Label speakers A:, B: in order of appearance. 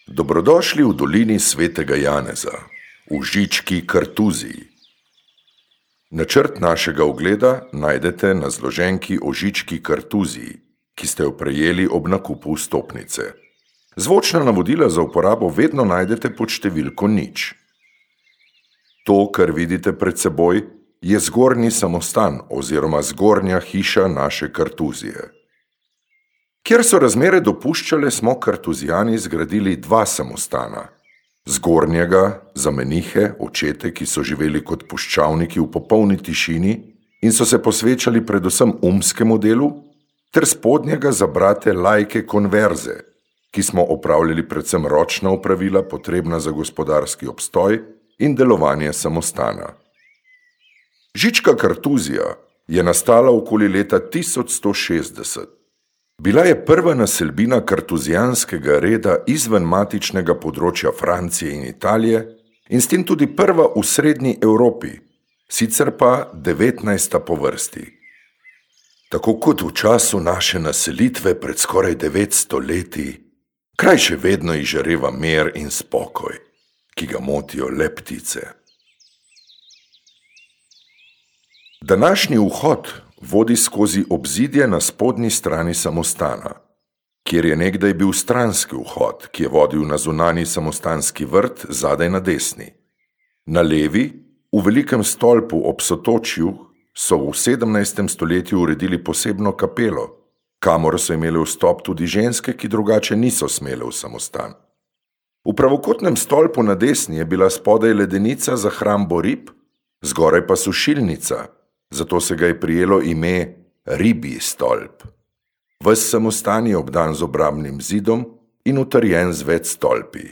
A: Dobrodošli v dolini Svetega Janeza, v Žički Kartuziji. Načrt našega ogleda najdete na zloženki o Žički Kartuziji, ki ste jo prejeli ob nakupu vstopnice. Zvočna navodila za uporabo vedno najdete pod številko 0. To, kar vidite pred seboj, je zgornji samostan oziroma zgornja hiša naše Kartuzije. Kjer so razmere dopuščale, smo Kartuzijani zgradili 2 samostana. Zgornjega za menihe, očete, ki so živeli kot puščavniki v popolni tišini in so se posvečali predvsem umskemu delu, ter spodnjega za brate laike konverze, ki smo opravljali predvsem ročna opravila, potrebna za gospodarski obstoj in delovanje samostana. Žička Kartuzija je nastala okoli leta 1160. Bila je prva naselbina kartuzijanskega reda izven matičnega področja Francije in Italije in s tem tudi prva v srednji Evropi, sicer pa 19. po vrsti. Tako kot v času naše naselitve pred skoraj 900 leti, kraj še vedno izžareva mir in spokoj, ki ga motijo le ptice. Današnji vhod vodi skozi obzidje na spodnji strani samostana, kjer je nekdaj bil stranski vhod, ki je vodil na zunanji samostanski vrt zadaj na desni. Na levi, v velikem stolpu ob sotočju, so v 17. stoletju uredili posebno kapelo, kamor so imeli vstop tudi ženske, ki drugače niso smele v samostan. V pravokotnem stolpu na desni je bila spodaj ledenica za hrambo rib, zgoraj pa sušilnica, zato se ga je prijelo ime Ribji stolp. Ves samostan je obdan z obrambnim zidom in utrjen z več stolpi.